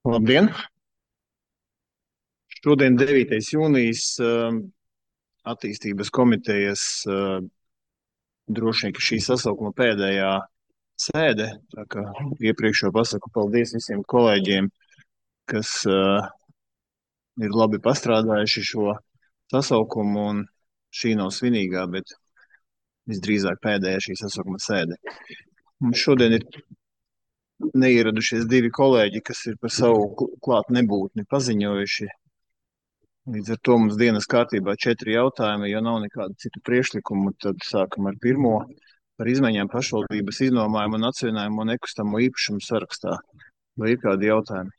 Labdien! Šodien 9. jūnijas attīstības komitejas droši vien, ka šī sasaukuma pēdējā sēde. Tā kā iepriekš jau pasaku paldies visiem kolēģiem, kas ir labi pastrādājuši šo sasaukumu, un šī nav svinīgā, bet visdrīzāk pēdējā šī sasaukuma sēde. Mums šodien ir neieradušies divi kolēģi, kas ir par savu klāt nebūtni paziņojuši. Līdz ar to mums dienas kārtībā 4 jautājumi. Ja nav nekādu citu priekšlikumu, tad sākam ar pirmo par izmaiņām pašvaldības iznomājumu un atseviļinājumu nekustamo īpašumu sarakstā. Vai ir kādi jautājumi?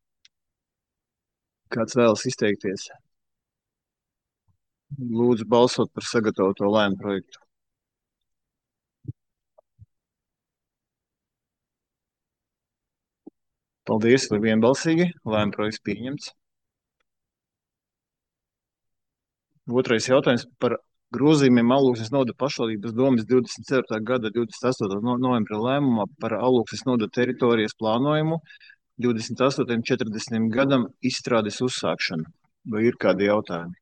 Kāds vēlas izteikties? Lūdzu balsot par sagatavoto lēmumu projektu. Paldies, vai vienbalsīgi. Lēmumu projekts pieņemts. Otrais jautājums par grozījumiem Alūksnes novada pašvaldības domes 24. gada 28. novembra lēmumā par Alūksnes novada teritorijas plānojumu 28. 40. gadam izstrādes uzsākšanu. Vai ir kādi jautājumi?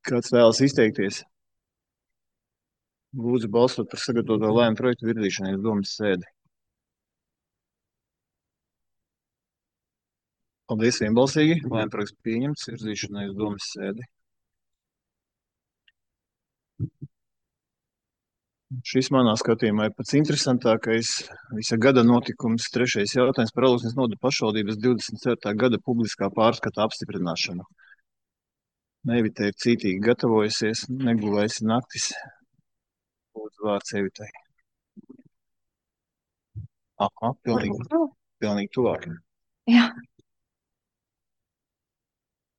Kāds vēlas izteikties? Lūdzu balsot par sagatavoto lēmumu projektu virzīšanai uz domes sēdi. Paldies, vienbalsīgi. Lēmumu projekts pieņemts, virzīšanai uz domes sēdi. Šis manā skatījumā ir pats interesantākais visa gada notikums. Trešais jautājums par Alūksnes novada pašvaldības 24. gada publiskā pārskata apstiprināšanu. Evita ir cītīgi gatavojusies, negulējusi naktis. Lūdzu vārds Evitai. Aha, pilnīgi tuvāk. Jā.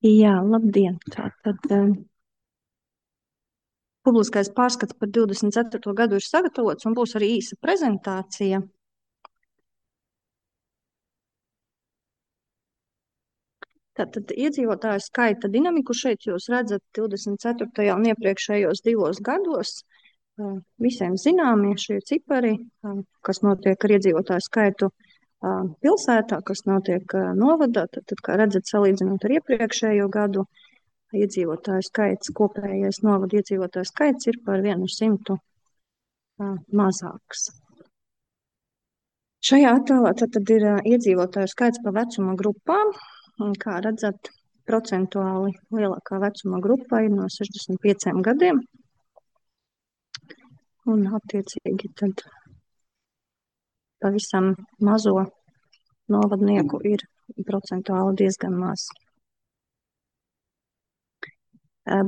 Jā, labdien. Tātad publiskais pārskats par 24. gadu ir sagatavots un būs arī īsa prezentācija. Tātad iedzīvotāju skaita dinamiku šeit jūs redzat 24. un iepriekšējos 2 gados. Visiem zināmie šie cipari, kas notiek ar iedzīvotāju skaitu pilsētā, kas notiek novadā. Tad, kā redzat, salīdzinot ar iepriekšējo gadu, iedzīvotāju skaits, kopējais novada iedzīvotāju skaits ir par 100 mazāks. Šajā attēlā tad ir iedzīvotāju skaits pa vecuma grupām. Kā redzat, procentuāli lielākā vecuma grupa ir no 65 gadiem. Un attiecīgi tad pavisam mazo novadnieku ir procentuāli diezgan maz.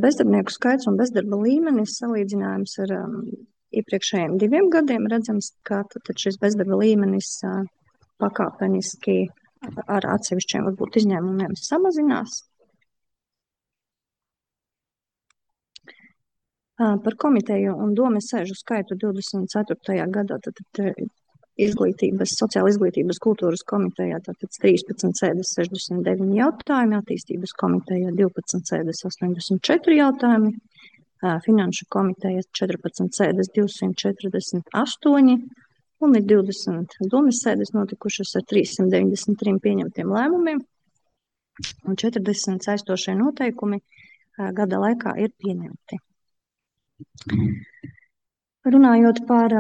Bezdarbnieku skaits un bezdarba līmenis salīdzinājums ar iepriekšējiem 2 gadiem redzams, ka tad šis bezdarba līmenis pakāpeniski ar atsevišķiem varbūt izņēmumiem samazinās. Par komiteju un domes sēžu skaitu 24. gadā sociāla izglītības kultūras komitejā 13 sēdes 69 jautājumi, attīstības komitejā 12 sēdes 84 jautājumi, finanšu komiteja 14 sēdes 248 un ir 20 domes sēdes notikušas ar 393 pieņemtiem lēmumiem un 40 saistošie noteikumi gada laikā ir pieņemti. Runājot par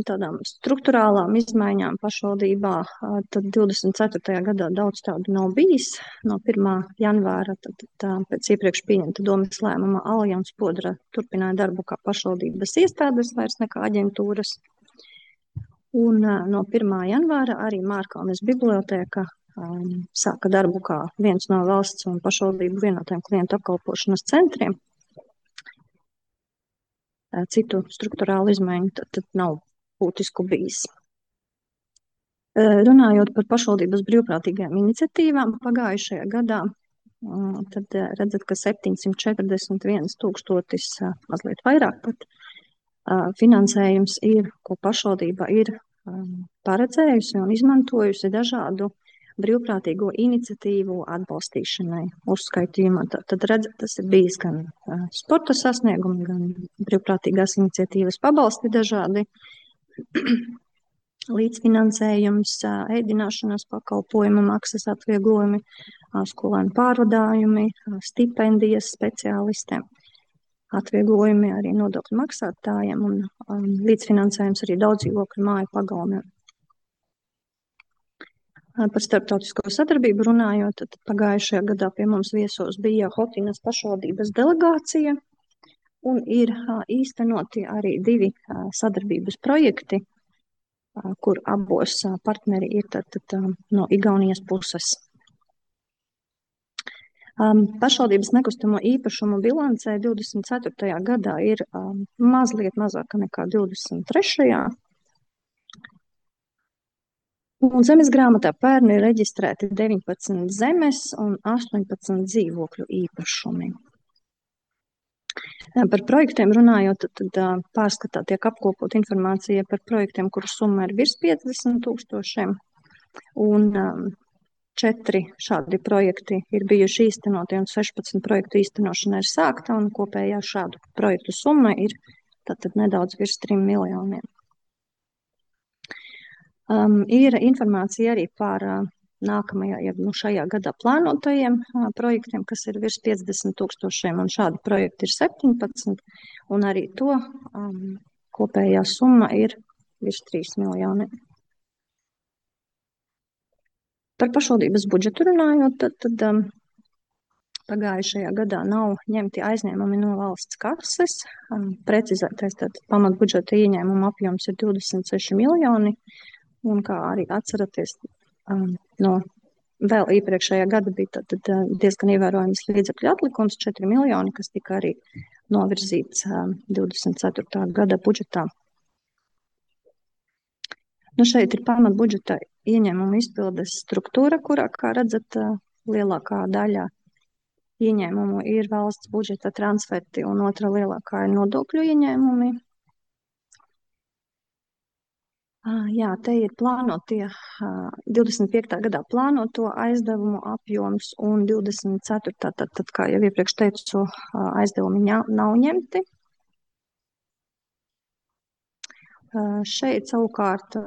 tādām struktūrālām izmaiņām pašvaldībā, tad 24. gadā daudz tādu nav bijis. No 1. janvāra pēc iepriekš pieņemta domes lēmuma Aljons Podra turpināja darbu kā pašvaldības iestādes vairs nekā aģentūras. Un no 1. janvāra arī Mārkalnes bibliotēka sāka darbu kā viens no valsts un pašvaldību vienotiem klientu apkalpošanas centriem. Citu struktūrālu izmaiņu tad nav būtisku bijis. Runājot par pašvaldības brīvprātīgajām iniciatīvām pagājušajā gadā, tad redzat, ka 741 000, mazliet vairāk pat, finansējums ir, ko pašvaldība ir paredzējusi un izmantojusi dažādu brīvprātīgo iniciatīvu atbalstīšanai uzskaitījumā. Tad redzat, tas ir bijis gan sporta sasniegumi, gan brīvprātīgās iniciatīvas pabalsti dažādi. līdzfinansējums, ēdināšanas pakalpojumu maksas atvieglojumi, skolēnu pārvadājumi, stipendijas speciālistiem, atvieglojumi arī nodokļu maksātājiem un līdzfinansējums arī daudzdzīvokļu māju pagalmiem. Par starptautisko sadarbību runājot, tad pagājušajā gadā pie mums viesos bija Hotinas pašvaldības delegācija un ir īstenoti arī 2 sadarbības projekti, kur abos partneri ir tad no Igaunijas puses. Pašvaldības nekustamo īpašumu bilancē 24. gadā ir mazliet mazāka nekā 23. Un zemes grāmatā pērn ir reģistrēti 19 zemes un 18 dzīvokļu īpašumi. Par projektiem runājot, tad pārskatā tiek apkopot informācija par projektiem, kuru summa ir virs 50 000, un 4 šādi projekti ir bijuši īstenoti, un 16 projektu īstenošana ir sākta, un kopējā šādu projektu summa ir tātad nedaudz virs 3 miljoniem. Ir informācija arī par nākamajā, šajā gadā plānotajiem projektiem, kas ir virs 50 000, un šādi projekti ir 17, un arī to kopējā summa ir virs 3 miljoniem. Par pašvaldības budžetu runājot, tad pagājušajā gadā nav ņemti aizņēmumi no valsts kases. Precizētais pamatbudžeta ieņēmuma apjoms ir 26 miljoni. Un kā arī atceraties, no vēl iepriekšējā gada bija diezgan ievērojams līdzekļu atlikums 4 miljoni, kas tika arī novirzīts 24. gada budžetā. Šeit ir pamatbudžeta ieņēmuma izpildes struktūra, kurā, kā redzat, lielākā daļa ieņēmumu ir valsts budžeta transferti un otra lielākā ir nodokļu ieņēmumi. Jā, te ir plānotie 25. gadā plānoto aizdevumu apjoms un 24. tad, kā jau iepriekš teicu, aizdevumi nav ņemti. Šeit savukārt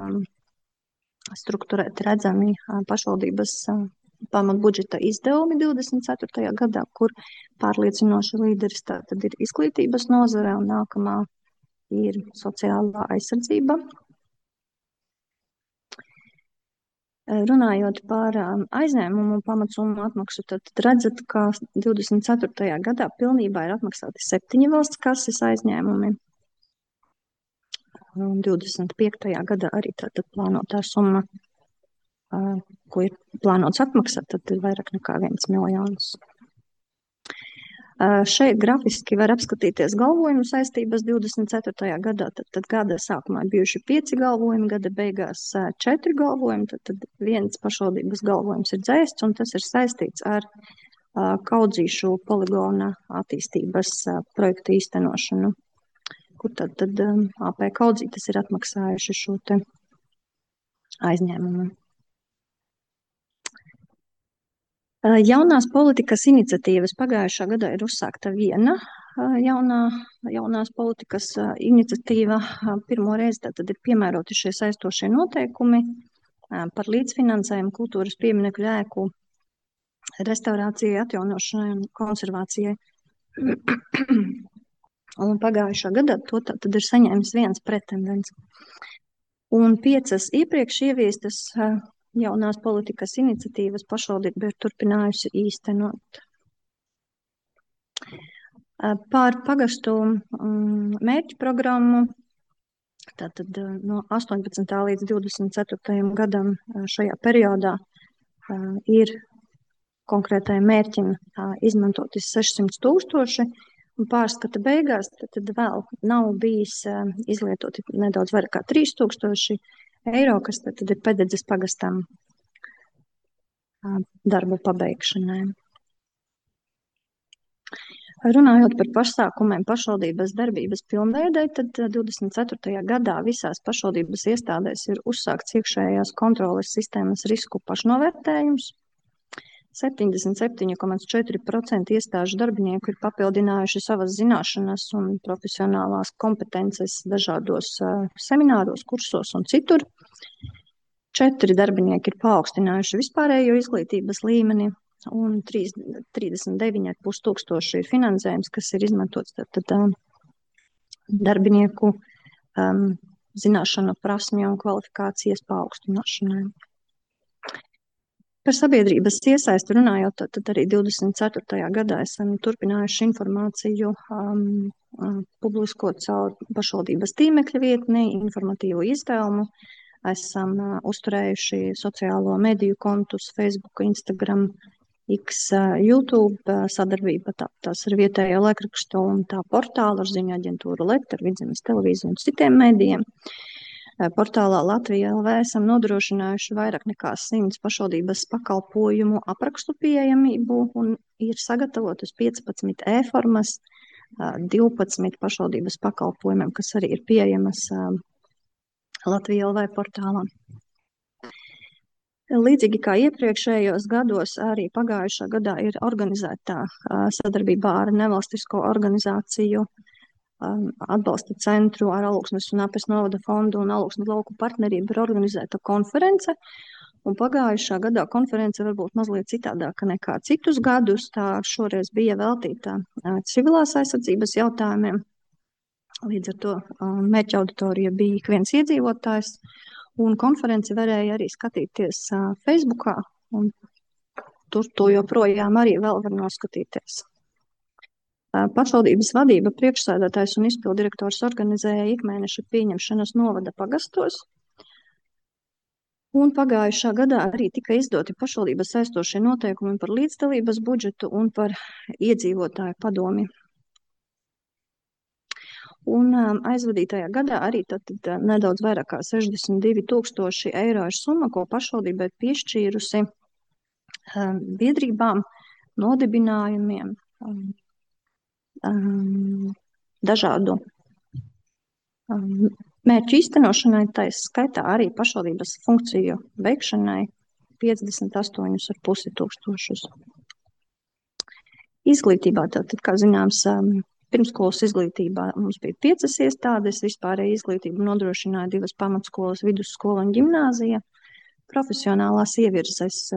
strukturēti redzami pašvaldības pamatbudžeta izdevumi 24. gadā, kur pārliecinoši līderis tātad ir izglītības nozare un nākamā ir sociālā aizsardzība. Runājot par aizņēmumu pamatsummu atmaksu, tad redzat, ka 24. gadā pilnībā ir atmaksāti 7 valsts kases aizņēmumi. Un 25. gadā arī tātad plānotā summa, ko ir plānots atmaksāt, tad ir vairāk nekā 1 miljons. Šeit grafiski var apskatīties galvojumu saistības 24. gadā, tad gada sākumā bijuši 5 galvojumi, gada beigās 4 galvojumi, tad viens pašvaldības galvojums ir dzēsts, un tas ir saistīts ar Kaudzīšu poligona attīstības projektu īstenošanu, kur tad AP Kaudzītes ir atmaksājuši šo te aizņēmumu. Jaunās politikas iniciatīvas pagājušā gadā ir uzsākta viena jaunās politikas iniciatīva. Pirmo reizi tad ir piemēroti šie saistošie noteikumi par līdzfinansējumu kultūras pieminekļu ēku restaurācijai, atjaunošanai un konservācijai. Un pagājušā gadā to tad ir saņēmis viens pretendents. Un 5 iepriekš ieviestas jaunās politikas iniciatīvas pašvaldība ir turpinājusi īstenot. Par pagastu mērķu programmu, tātad no 18. līdz 24. gadam šajā periodā ir konkrētajam mērķim izmantoti 600 000, un pārskata beigās tad vēl nav bijis izlietoti nedaudz vairāk kā 3000 eiro, kas tad ir Pededzes pagastam darbu pabeigšanai. Runājot par pasākumiem pašvaldības darbības pilnveidei, tad 24. gadā visās pašvaldības iestādēs ir uzsākts iekšējās kontroles sistēmas risku pašnovērtējums. 77,4% iestāžu darbinieku ir papildinājuši savas zināšanas un profesionālās kompetences dažādos semināros, kursos un citur. 4 darbinieki ir paaugstinājuši vispārējo izglītības līmeni, un 39,5 tūkstoši ir finansējums, kas ir izmantots darbinieku zināšanu, prasmju un kvalifikācijas paaugstināšanai. Par sabiedrības iesaisti runājot, tad arī 24. gadā esam turpinājuši informāciju publiskot caur pašvaldības tīmekļa vietni, informatīvu izdevumu. Esam uzturējuši sociālo mediju kontus Facebook, Instagram, X, YouTube, sadarbība tās ar vietējo laikrakstu un tā portālu ar ziņu aģentūru LET, ar Vidzemes televīziju un citiem medijiem. Portālā Latvija LV esam nodrošinājuši vairāk nekā 100 pašvaldības pakalpojumu aprakstu pieejamību un ir sagatavotas 15 e-formas 12 pašvaldības pakalpojumiem, kas arī ir pieejamas Latvija LV portālā. Līdzīgi kā iepriekšējos gados, arī pagājušā gadā ir organizētā sadarbībā ar nevalstisko organizāciju atbalsta centru ar Alūksnes un Apes novada fondu un Alūksnes lauku partnerību ir organizēta konference. Un pagājušā gadā konference varbūt mazliet citādāka nekā citus gadus. Tā šoreiz bija veltīta civilās aizsardzības jautājumiem. Līdz ar to mērķa auditorija bija ik viens iedzīvotājs. Un konferenci varēja arī skatīties Facebookā. Un tur to joprojām arī vēl var noskatīties. Pašvaldības vadība, priekšsēdētājs un izpildirektors organizēja ikmēneša pieņemšanas novada pagastos. Un pagājušā gadā arī tika izdoti pašvaldības saistošie noteikumi par līdzdalības budžetu un par iedzīvotāju padomi. Un aizvadītajā gadā arī tad nedaudz vairāk kā 62,000 eiro ir summa, ko pašvaldībai piešķīrusi biedrībām, nodibinājumiem, dažādu mērķu īstenošanai, tā skaitā arī pašvaldības funkciju veikšanai 58,5 tūkstošus. Izglītībā tātad, kā zināms, pirmskolas izglītībā mums bija 5 iestādes, vispārēja izglītību nodrošināja 2 pamatskolas, vidusskola un ģimnāzija, profesionālās ievirzes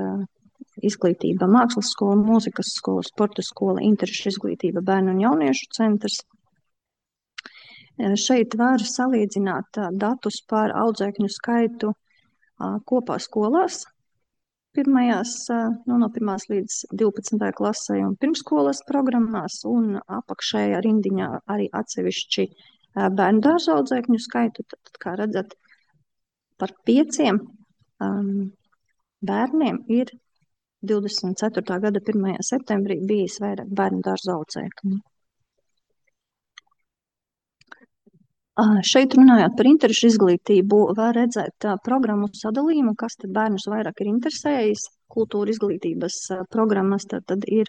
izglītība, mākslas skola, mūzikas skola, sporta skola, interešu izglītība, bērnu un jauniešu centrs. Šeit var salīdzināt datus par audzēkņu skaitu kopā skolās, no 1. līdz 12. klasē un pirmskolas programmās, un apakšējā rindiņā arī atsevišķi bērnu dārza audzēkņu skaitu. Tad, kā redzat, par 5 bērniem ir 24. gada 1. septembrī bijis vairāk bērnu dārza audzēkņu. Šeit runājot par interešu izglītību, var redzēt programmu sadalījumu, kas tad bērnus vairāk ir interesējis. Kultūra izglītības programmas tad ir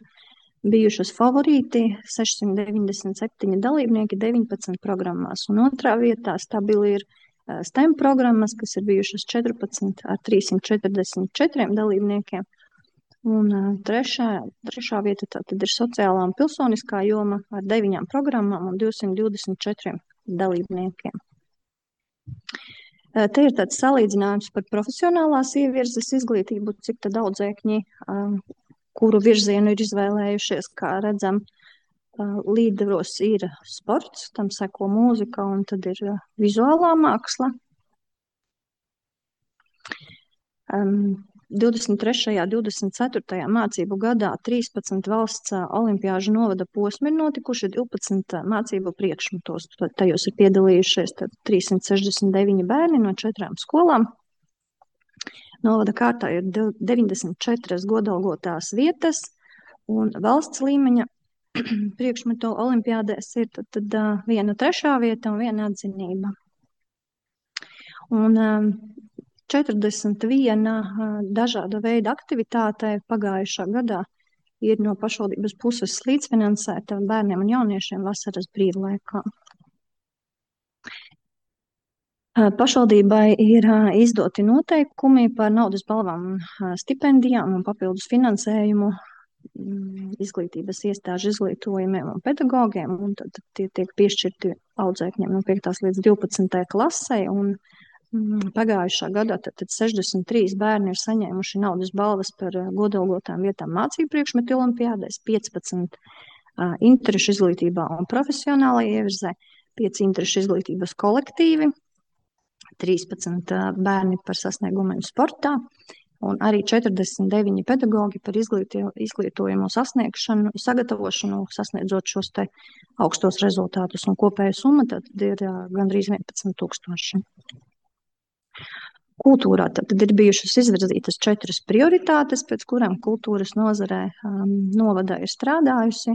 bijušas favorīti, 697 dalībnieki 19 programmās. Un otrā vietā stabili ir STEM programmas, kas ir bijušas 14 ar 344 dalībniekiem. Un trešā vieta tad ir sociālā un pilsoniskā joma ar 9 programmām un 224 dalībniekiem. Te ir tāds salīdzinājums par profesionālās ievirzes izglītību, cik tad audzēkņi, kuru virzienu ir izvēlējušies, kā redzam, līderos ir sports, tam seko mūzika un tad ir vizuālā māksla. 23. un 24. mācību gadā 13 valsts olimpiāžu novada posmi ir notikuši, 12 mācību priekšmetos. Tajos ir piedalījušies 369 bērni no 4 skolām. Novada kārtā ir 94 godalgotās vietas, un valsts līmeņa priekšmetu olimpiādēs ir tad 1/3 vieta un 1 atzinība. Un 41 dažāda veida aktivitāte pagājušā gadā ir no pašvaldības puses līdzfinansēta bērniem un jauniešiem vasaras brīvlaikā. Pašvaldībai ir izdoti noteikumi par naudas balvām un stipendijām un papildus finansējumu izglītības iestāžu izglītojumiem un pedagogiem, un tad tie tiek piešķirti audzēkņiem no 5. līdz 12. klasei, un pagājušā gadā tad 63 bērni ir saņēmuši naudas balvas par godalgotām vietām mācību priekšmetu olimpiādēs, 15 interešu izglītībā un profesionālajā ievirzē, 5 interešu izglītības kolektīvi, 13 bērni par sasniegumiem sportā, un arī 49 pedagogi par izglītojumu sasniegšanu, sagatavošanu, sasniedzot šos te augstos rezultātus, un kopēja summa tad ir gandrīz 11,000. Kultūrā tad ir bijušas izvirzītas 4 prioritātes, pēc kurām kultūras nozarē novadā ir strādājusi.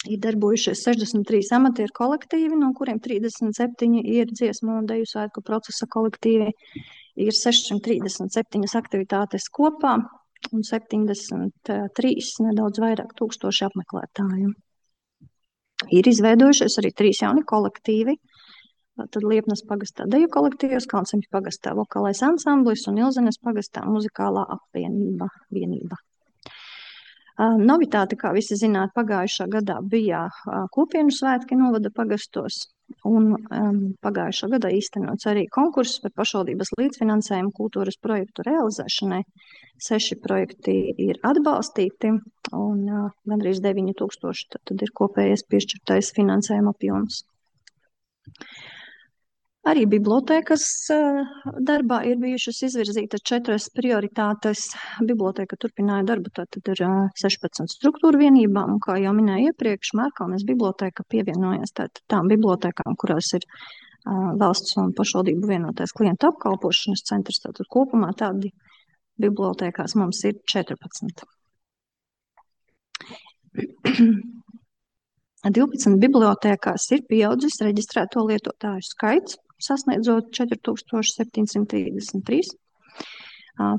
Ir darbojušies 63 amatieru kolektīvi, no kuriem 37 ir dziesmu un deju svētku procesa kolektīvi. Ir 637 aktivitātes kopā un 73 nedaudz vairāk tūkstoši apmeklētāju. Ir izveidojušies arī 3 jauni kolektīvi. Tad Liepnas pagastā deju kolektīvs, Kalnseņu pagastā vokālais ansamblis un Ilzenes pagastā muzikālā vienība. Novitāte, kā visi zināt, pagājušā gadā bija kopienu svētki novada pagastos, un pagājušā gadā īstenots arī konkurss par pašvaldības līdzfinansējumu kultūras projektu realizēšanai. 6 projekti ir atbalstīti, un gandrīz 9,000 tad ir kopējais piešķirtais finansējuma apjoms. Arī bibliotēkas darbā ir bijušas izvirzītas 4 prioritātes. Bibliotēka turpināja darbu tātad ar 16 struktūru vienībām, un kā jau minēju iepriekš, Mērkalnes bibliotēka pievienojās tām bibliotēkām, kurās ir valsts un pašvaldību vienotais klientu apkalpošanas centrs. Tātad kopumā tādi bibliotēkās mums ir 14. 12 bibliotēkās ir pieaudzis reģistrēto lietotāju skaits, sasniedzot 4733.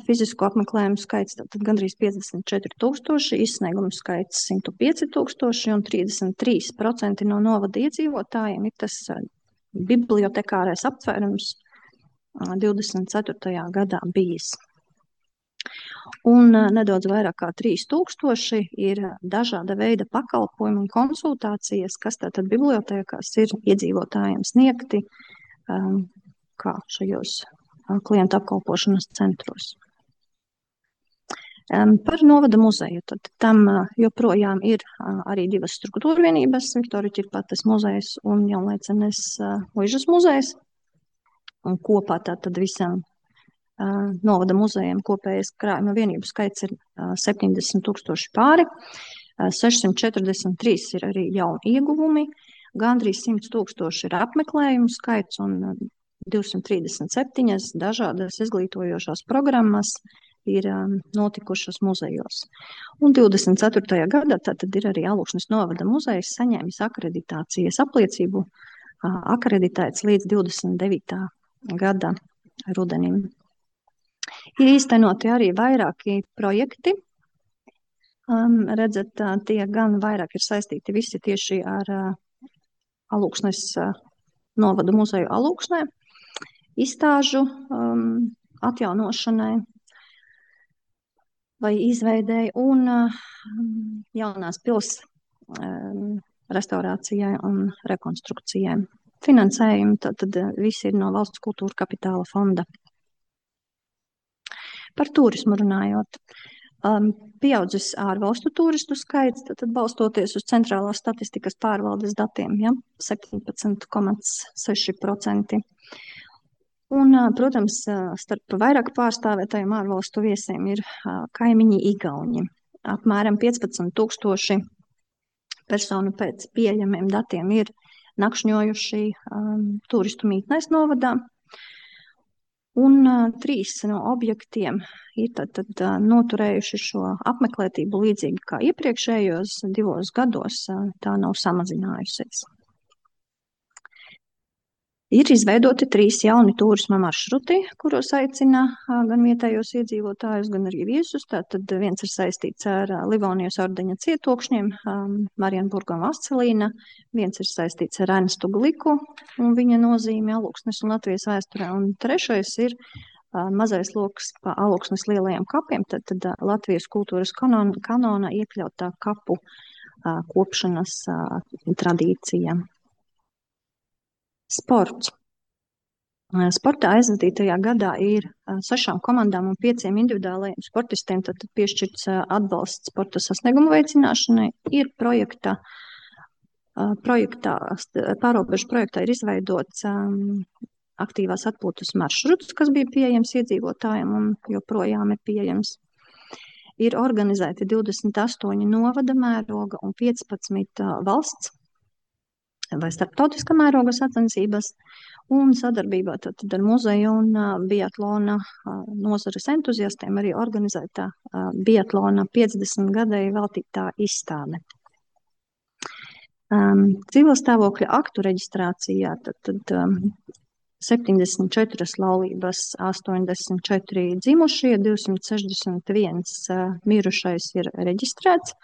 Fizisko apmeklējumu skaits tātad gandrīz 54,000, izsniegumu skaits 105,000, un 33% no novada iedzīvotājiem ir tas bibliotekārais aptvērums 24. gadā bijis. Un nedaudz vairāk kā 3,000 ir dažāda veida pakalpojumi un konsultācijas, kas tātad bibliotēkās ir iedzīvotājiem sniegti kā šajos klientu apkalpošanas centros. Par novada muzeju. Tad tam joprojām ir arī 2 struktūra vienības, Viktorija Ķirpates muzejs un Jaunlaicenes Muižas muzejs. Un kopā tātad visam novada muzejiem kopējais krājuma vienību skaits ir 70,000 pāri, 643 ir arī jauni ieguvumi, gandrīz 100,000 ir apmeklējumu skaits un 237 dažādas izglītojošās programmas ir notikušas muzejos. Un 24. gadā tātad ir arī Alūksnes novada muzejs saņēmis akreditācijas apliecību, akreditēts līdz 29. gada rudenim. Ir īstenoti arī vairāki projekti. Redzat, tie gan vairāk ir saistīti visi tieši ar Alūksnes novada muzeju Alūksnē, izstāžu atjaunošanai vai izveidēji un jaunās pils restaurācijai un rekonstrukcijai. Finansējumi tad visi ir no Valsts kultūra kapitāla fonda. Par turismu runājot, pieaudzis ārvalstu turistu skaits, tad balstoties uz centrālās statistikas pārvaldes datiem, 17,6%. Un, protams, starp vairāk pārstāvētajiem ārvalstu viesiem ir kaimiņi Igauņi. Apmēram 15,000 personu pēc pieejamiem datiem ir nakšņojuši turistu mītnēs novadā. Un 3 no objektiem ir tad noturējuši šo apmeklētību līdzīgi kā iepriekšējos 2 gados, tā nav samazinājusies. Ir izveidoti 3 jauni turisma maršruti, kuros aicina gan vietējos iedzīvotājus, gan arī viesus. Tātad viens ir saistīts ar Livonijas ordeņa cietokšņiem, Marienburgu un Vascelīna, viens ir saistīts ar Ernstu Gliku un viņa nozīmi Alūksnes un Latvijas vēsturē, un trešais ir mazais loks pa Alūksnes lielajiem kapiem, tad Latvijas kultūras kanona iekļautā kapu kopšanas tradīcija. Sports. Sportā aizvadītajā gadā ir 6 komandām un 5 individuālajiem sportistiem tad piešķirts atbalsts sporta sasniegumu veicināšanai. Ir pārobežu projektā ir izveidots aktīvās atpūtas maršruts, kas bija pieejams iedzīvotājiem un joprojām ir pieejams. Ir organizēti 28 novada mēroga un 15 valsts vai starptautiskā mēroga sacensības, un sadarbībā tad ar muzeju un biatlona nozares entuziastiem arī organizētā biatlona 50 gadēji veltītā izstāde. Civilstāvokļa aktu reģistrācijā tad 74 laulības, 84 dzimušie, 261 mirušais ir reģistrēts.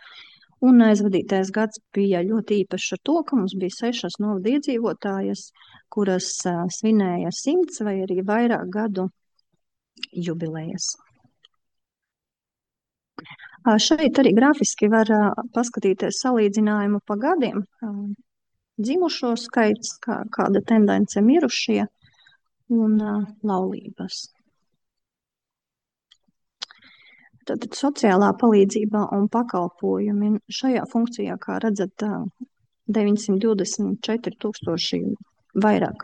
Un aizvadītais gads bija ļoti īpašs ar to, ka mums bija 6 novada iedzīvotājas, kuras svinēja 100 vai arī vairāk gadu jubilejas. Šeit arī grafiski var paskatīties salīdzinājumu pa gadiem. Dzimušo skaits, kāda tendence mirušie un laulības. Tātad sociālā palīdzība un pakalpojumi šajā funkcijā, kā redzat, 924 000 vairāk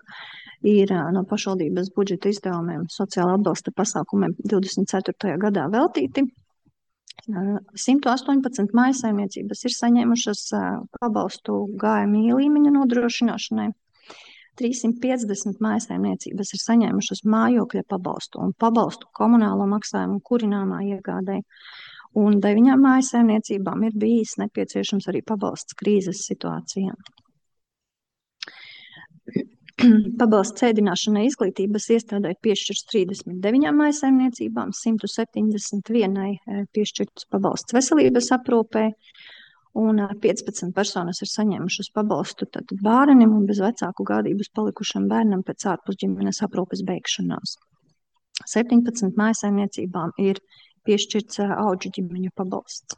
ir no pašvaldības budžeta izdevumiem sociāla atbalsta pasākumiem 24. gadā veltīti. 118 mājsaimniecības ir saņēmušas pabalstu GMI līmeņa nodrošināšanai. 350 mājsaimniecības ir saņēmušas mājokļa pabalstu un pabalstu komunālo maksājumu kurināmā iegādē. Un 9 mājsaimniecībām ir bijis nepieciešams arī pabalsts krīzes situācijā. Pabalsts ēdināšanai izglītības iestādē piešķirts 39 mājsaimniecībām, 171 piešķirts pabalsts veselības aprūpē, un 15 personas ir saņēmušas pabalstu bērnam un bez vecāku gādības palikušam bērnam pēc ārpusģimenes aprūpes beigšanās. 17 mājsaimniecībām ir piešķirts audžu ģimeņu pabalsts.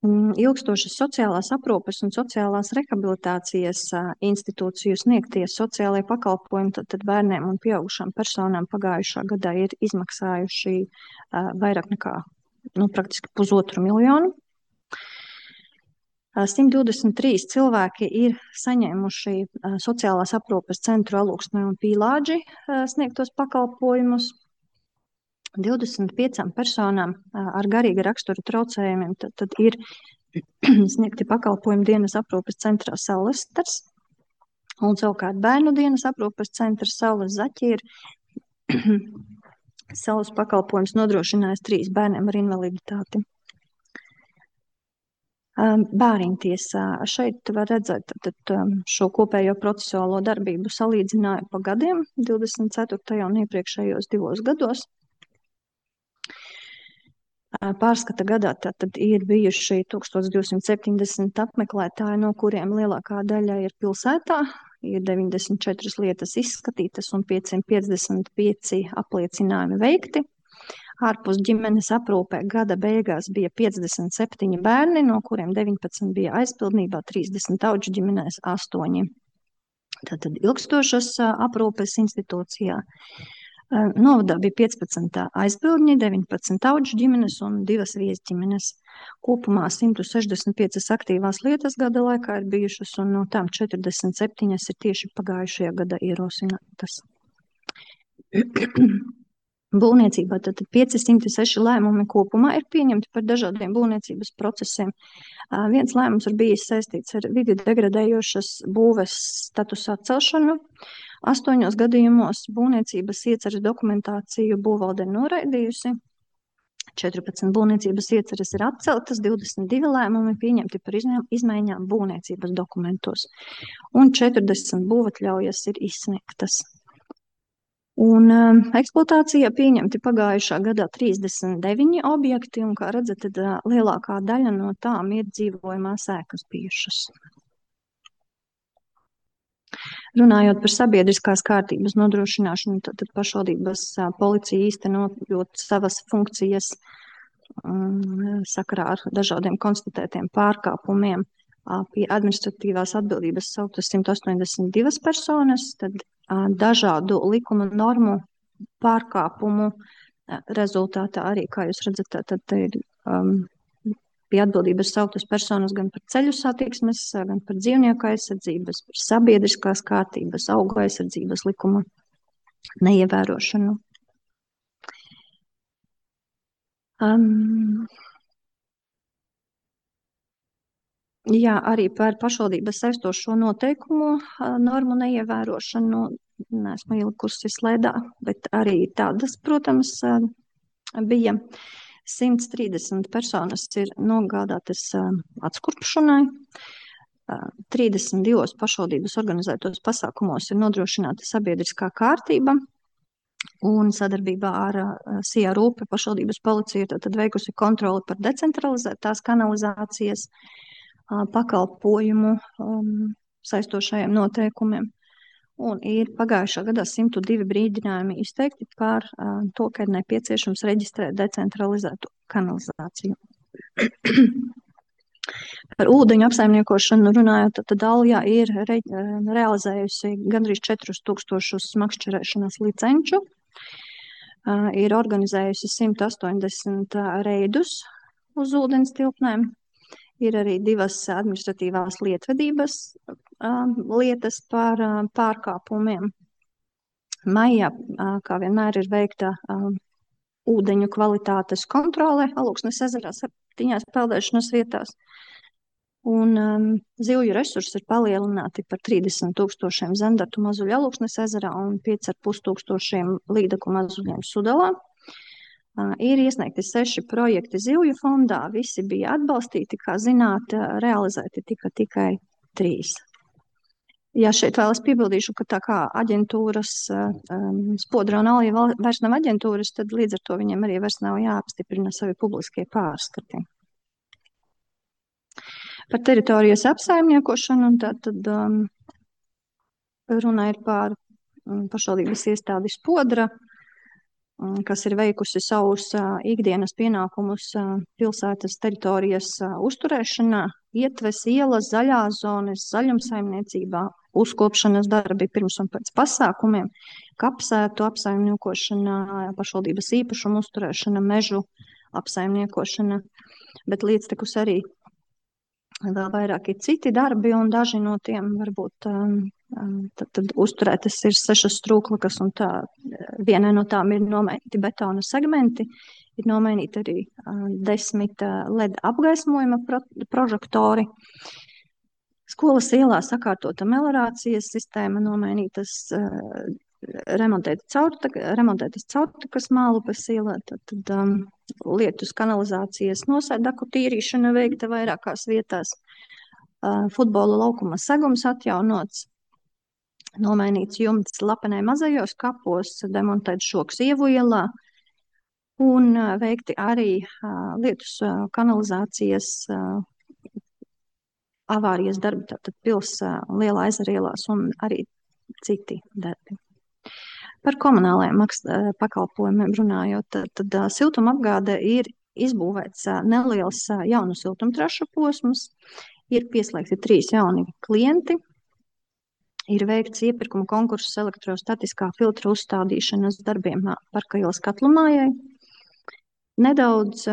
Ilgstošas sociālās aprūpes un sociālās rehabilitācijas institūciju sniegtie sociālajie pakalpojumi tad bērniem un pieaugušām personām pagājušā gadā ir izmaksājuši vairāk nekā praktiski 1,5 miljonu. 123 cilvēki ir saņēmuši sociālās aprūpes centru Alūksnē un Pīlādži sniegtos pakalpojumus. 25 personām ar garīga rakstura traucējumiem tad ir sniegti pakalpojumi dienas aprūpes centrā Saules stars, un savukārt bērnu dienas aprūpes centrs Saules zaķi ir savus pakalpojumus nodrošinājis 3 bērniem ar invaliditāti. Bāriņtiesā šeit var redzēt šo kopējo procesuālo darbību salīdzinājumu pa gadiem 24. un iepriekšējos 2 gados. Pārskata gadā tad ir bijuši 1270 apmeklētāji, no kuriem lielākā daļa ir pilsētā, ir 94 lietas izskatītas un 555 apliecinājumi veikti. Ārpus ģimenes aprūpē gada beigās bija 57 bērni, no kuriem 19 bija aizpildnībā, 30 audžu ģimenēs, 8. Tātad ilgstošas aprūpes institūcijā. Novadā bija 15 aizbildņi, 19 audžu ģimenes un 2 viesģimenes. Kopumā 165 aktīvās lietas gada laikā ir bijušas, un no tām 47 ir tieši pagājušajā gada ierosinātas. Būvniecībā tad 506 lēmumi kopumā ir pieņemti par dažādiem būvniecības procesiem. Viens lēmums ir bijis saistīts ar vidi degradējošas būves statusa atcelšanu. 8 gadījumos būvniecības ieceres dokumentāciju būvvalde noraidījusi. 14 būvniecības ieceres ir atceltas, 22 lēmumi pieņemti par izmaiņām būvniecības dokumentos, un 40 būvatļaujas ir izsniegtas. Un eksploatācijā pieņemti pagājušā gadā 39 objekti, un, kā redzat, tad lielākā daļa no tām ir dzīvojamās ēkas bijušas. Runājot par sabiedriskās kārtības nodrošināšanu, tad pašvaldības policija īstenojot savas funkcijas sakarā ar dažādiem konstatētiem pārkāpumiem, pie administratīvās atbildības sauktas 182 personas, tad dažādu likuma normu pārkāpumu rezultātā arī, kā jūs redzat, tad ir pie atbildības sauktas personas gan par ceļu satiksmes, gan par dzīvnieku aizsardzības, par sabiedriskās kārtības, augu aizsardzības likuma neievērošanu. Jā, arī par pašvaldības saistošo noteikumu normu neievērošanu neesmu ielikusi slēdā, bet arī tādas, protams, bija. 130 personas ir nogādātas atskurpšanai, 32 pašvaldības organizētos pasākumos ir nodrošināta sabiedriskā kārtība, un sadarbībā ar SIA Rūpe pašvaldības policija ir tad veikusi kontroli par decentralizētās kanalizācijas pakalpojumu saistošajiem noteikumiem. Un ir pagājušā gadā 102 brīdinājumi izteikti par to, ka ir nepieciešams reģistrēt decentralizētu kanalizāciju. Par ūdeņu apsaimniekošanu runājot, tad Aljā ir realizējusi gandrīz 4000 smakšķerēšanas licenču, ir organizējusi 180 reidus uz ūdens tilpnēm. Ir arī 2 administratīvās lietvedības lietas par pārkāpumiem. Maijā, kā vienmēr, ir veikta ūdeņu kvalitātes kontrole Alūksnes ezerā 7 peldēšanas vietās. Un zivju resursi ir palielināti par 30 000 zendartu mazuļu Alūksnes ezerā un 5500 līdaku mazuļiem Sudalā. Ir iesniegti 6 projekti zivju fondā, visi bija atbalstīti, kā zināt, realizēti tikai 3. Ja šeit vēl es piebildīšu, ka tā kā aģentūras Spodra un Alja vairs nav aģentūras, tad līdz ar to viņiem arī vairs nav jāapstiprina savi publiskie pārskati. Par teritorijas apsaimniekošanu, un tad runa ir par pašvaldības iestādi Spodra, kas ir veikusi savus ikdienas pienākumus pilsētas teritorijas uzturēšanā, ietves, ielas, zaļās zonas, zaļumsaimniecībā, uzkopšanas darbi pirms un pēc pasākumiem, kapsētu apsaimniekošana, pašvaldības īpašumu uzturēšana, mežu apsaimniekošana, bet līdztekus arī vēl vairāki citi darbi, un daži no tiem varbūt tad uzturētas ir 6 strūklakas, un vienai no tām ir nomainīti betona segmenti, ir nomainīti arī 10 LED apgaismojuma prožektori. Skolas ielā sakārtota melorācijas sistēma, nomainītas remontētas caurtakas mālupes ielā, tad lietus kanalizācijas nosēdaku tīrīšana veikta vairākās vietās, futbola laukuma segums atjaunots, nomainīts jumts Lapenē mazajos kapos, demontēts šoks Ievu ielā un veikti arī lietus kanalizācijas avārijas darbi, tātad pils Lielā ezera ielās un arī citi darbi. Par komunālajiem pakalpojumiem runājot, tad siltumapgāde ir izbūvēts neliels jaunu siltumtrašu posms, ir pieslēgti 3 jauni klienti, ir veikts iepirkuma konkurss elektrostatiskā filtra uzstādīšanas darbiem Parka ielas katlumājai. Nedaudz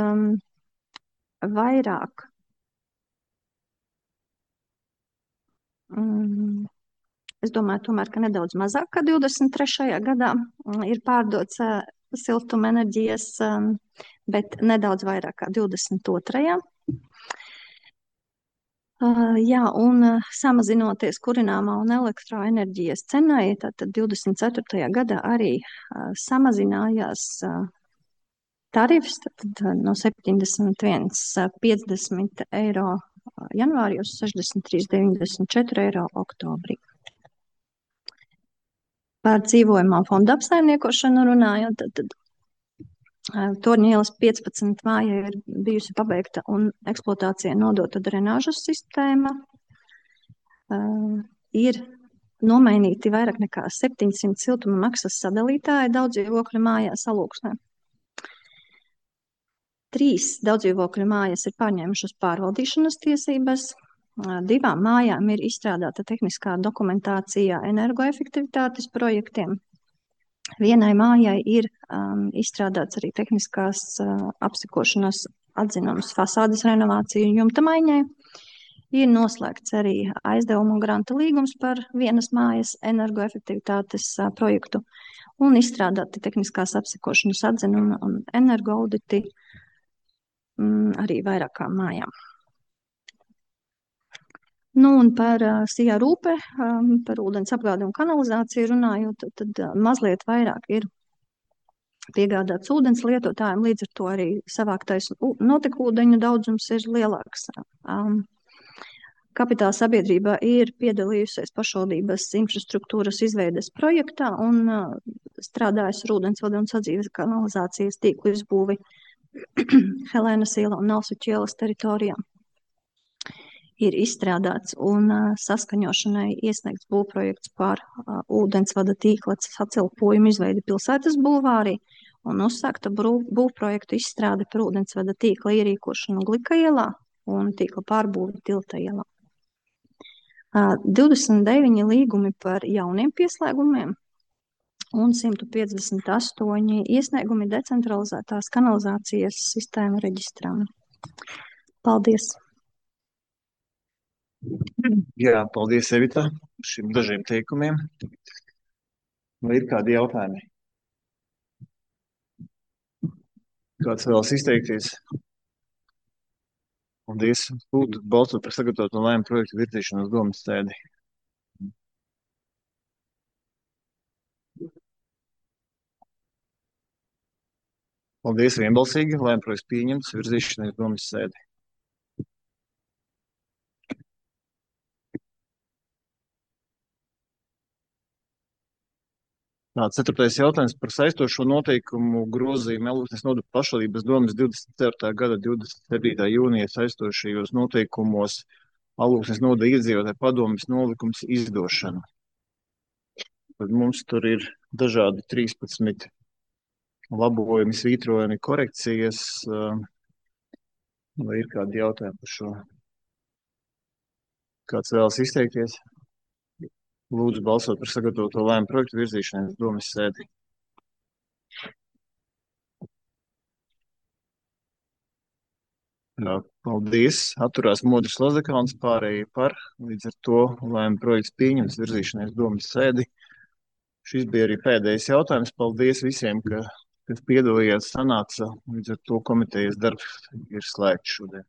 vairāk es domāju, tomēr, ka nedaudz mazāk kā 23. gadā ir pārdots siltumenerģijas, bet nedaudz vairāk kā 22. Jā, un samazinoties kurināmā un elektroenerģijas cenai, tad 24. gadā arī samazinājās tarifs tad no 71,50 eiro janvārī uz 63,94 eiro oktobrī. Par dzīvojamā fonda apsaimniekošanu runājot, tad Torņa ielas 15 māja ir bijusi pabeigta un eksploatācijai nodota drenāžas sistēma. Ir nomainīti vairāk nekā 700 siltuma maksas sadalītāji daudzdzīvokļu mājās Alūksnē. 3 daudzdzīvokļu mājas ir pārņēmušas pārvaldīšanas tiesības. 2 mājām ir izstrādāta tehniskā dokumentācija energoefektivitātes projektiem. 1 mājai ir izstrādāts arī tehniskās apsekošanas atzinums fasādes renovāciju un jumta maiņai. Ir noslēgts arī aizdevumu un granta līgums par 1 mājas energoefektivitātes projektu un izstrādāti tehniskās apsekošanas atzinumi un energoauditi arī vairākām mājām. Nu, un par Sijā Rūpe, par ūdens apgādi un kanalizāciju runājot, tad mazliet vairāk ir piegādāts ūdens lietotājiem, līdz ar to arī savāktais notekūdeņu daudzums ir lielāks. Kapitāla sabiedrība ir piedalījusies pašvaldības infrastruktūras izveides projektā un strādājusi ar ūdensvadu un sadzīves kanalizācijas tīklu izbūvi Helēnas ielā un Nalsuķu ielas teritorijā. Ir izstrādāts un saskaņošanai iesniegts būvprojekts par ūdensvada tīkla sacelpojumu izveidi pilsētas bulvārī un uzsākta būvprojektu izstrāde par ūdensvada tīkla ierīkošanu Glika ielā un tīkla pārbūvi Tilta ielā. 29 līgumi par jauniem pieslēgumiem un 158 iesniegumi decentralizētās kanalizācijas sistēmu reģistrām. Paldies! Jā, paldies, Evita, par šiem dažiem teikumiem. Vai ir kādi jautājumi? Kāds vēlas izteikties? Paldies. Lūdzu, balsot par sagatavotu lēmumu projektu virzīšanu uz domas sēdi. Paldies, vienbalsīgi. Lēmumu projekts pieņemts, virzīšanai uz domas sēdi. Tā, 4. jautājums par saistošo noteikumu grozījumu Alūksnes nodu pašvaldības domes 24. gada 27. jūnija saistošajos noteikumos Alūksnes noda iedzīvotāju padomes nolikums izdošanu. Tad mums tur ir dažādi 13 labojumi, svītrojumi, korekcijas. Vai ir kādi jautājumi par šo? Kāds vēlas izteikties? Lūdzu, balsot par sagatavoto lēmumu projektu virzīšanai uz domas sēdi. Jā, paldies. Atturās Modris Lazekāns, pārējie par. Līdz ar to lēmumu projekts pieņems virzīšanai uz domas sēdi. Šis bija arī pēdējais jautājums. Paldies visiem, kas piedalījās sanāca. Līdz ar to komitejas darbs ir slēgts šodien.